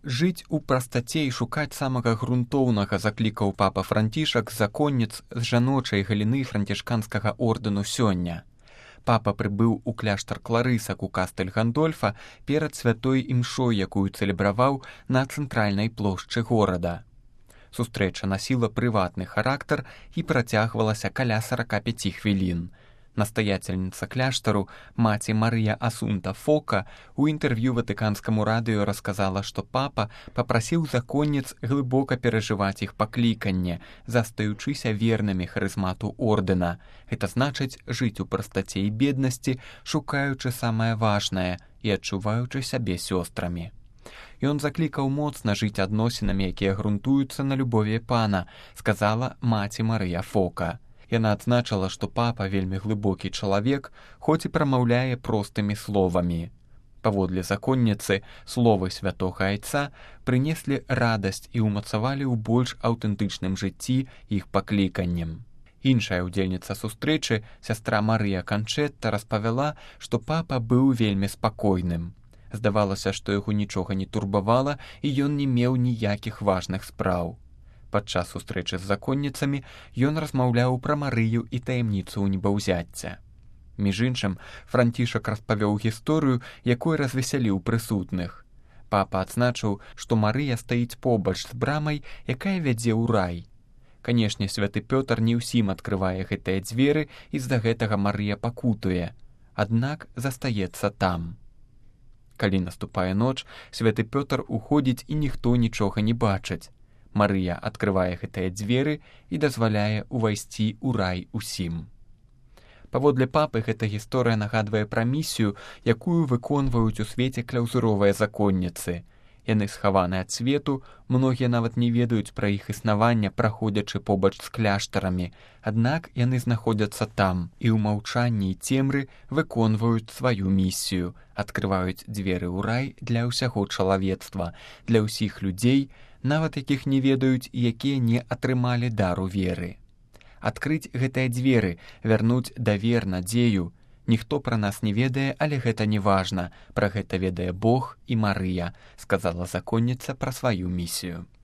Жыць у прастаце і шукаць самага грунтоўнага заклікаў папа Францішак законніц з жаночай галіны францішканскага ордэну сёння. Папа прыбыў у кляштар Кларысак у Кастэль Гандольфа перад святой імшой, якую цэлебраваў на цэнтральнай плошчы горада. Сустрэча насіла прыватны характар і працягвалася каля 45 хвілін. Настаяцельніца кляштару, маці Марыя Асунта Фока, у інтэрв'ю ватыканскаму радыё расказала, што папа папрасіў законніц глыбока перажываць іх пакліканне, застаючыся вернымі харызмату ордэна. Гэта значыць жыць у прастаце і беднасці, шукаючы самае важнае і адчуваючы сябе сёстрамі. Ён заклікаў моцна жыць адносінамі, якія грунтуюцца на любові пана, сказала маці Марыя Фока. Яна адзначыла, што папа вельмі глыбокі чалавек, хоць і прамаўляе простымі словамі. Паводле законніцы, словы святога айца прынеслі радасць і ўмацавалі ў больш аўтэнтычным жыцці іх пакліканнем. Іншая ўдзельніца сустрэчы, сястра Марыя Канчэтта, распавяла, што папа быў вельмі спакойным. Здавалася, што яго нічога не турбавала і ён не меў ніякіх важных спраў. Падчас сустрэчы з законніцамі ён размаўляў пра Марыю і таямніцу небаўзяцця. Між іншым, Францішак распавёў гісторыю, якой развесяліў прысутных. Папа адзначыў, што Марыя стаіць побач з брамай, якая вядзе ў рай. Канешне, святы Пётр не ўсім адкрывае гэтыя дзверы, і з-за гэтага Марыя пакутуе, аднак застаецца там. Калі наступае ноч, святы Пётр уходзіць і ніхто нічога не бачыць. Марыя адкрывае гэтыя дзверы і дазваляе ўвайсці ў рай усім. Паводле папы, гэта гісторыя нагадвае пра місію, якую выконваюць у свеце кляўзуровыя законніцы. Яны схаваны ад свету, многія нават не ведаюць пра іх існаванне, праходзячы побач з кляштарамі, аднак яны знаходзяцца там і ў маўчанні і цемры выконваюць сваю місію, адкрываюць дзверы ў рай для ўсяго чалавецтва, для ўсіх людзей, нават якіх не ведаюць і якія не атрымалі дару веры. Адкрыць гэтыя дзверы, вярнуць давер, надзею. Ніхто пра нас не ведае, але гэта не важна. Пра гэта ведае Бог і Марыя, сказала законніца пра сваю місію.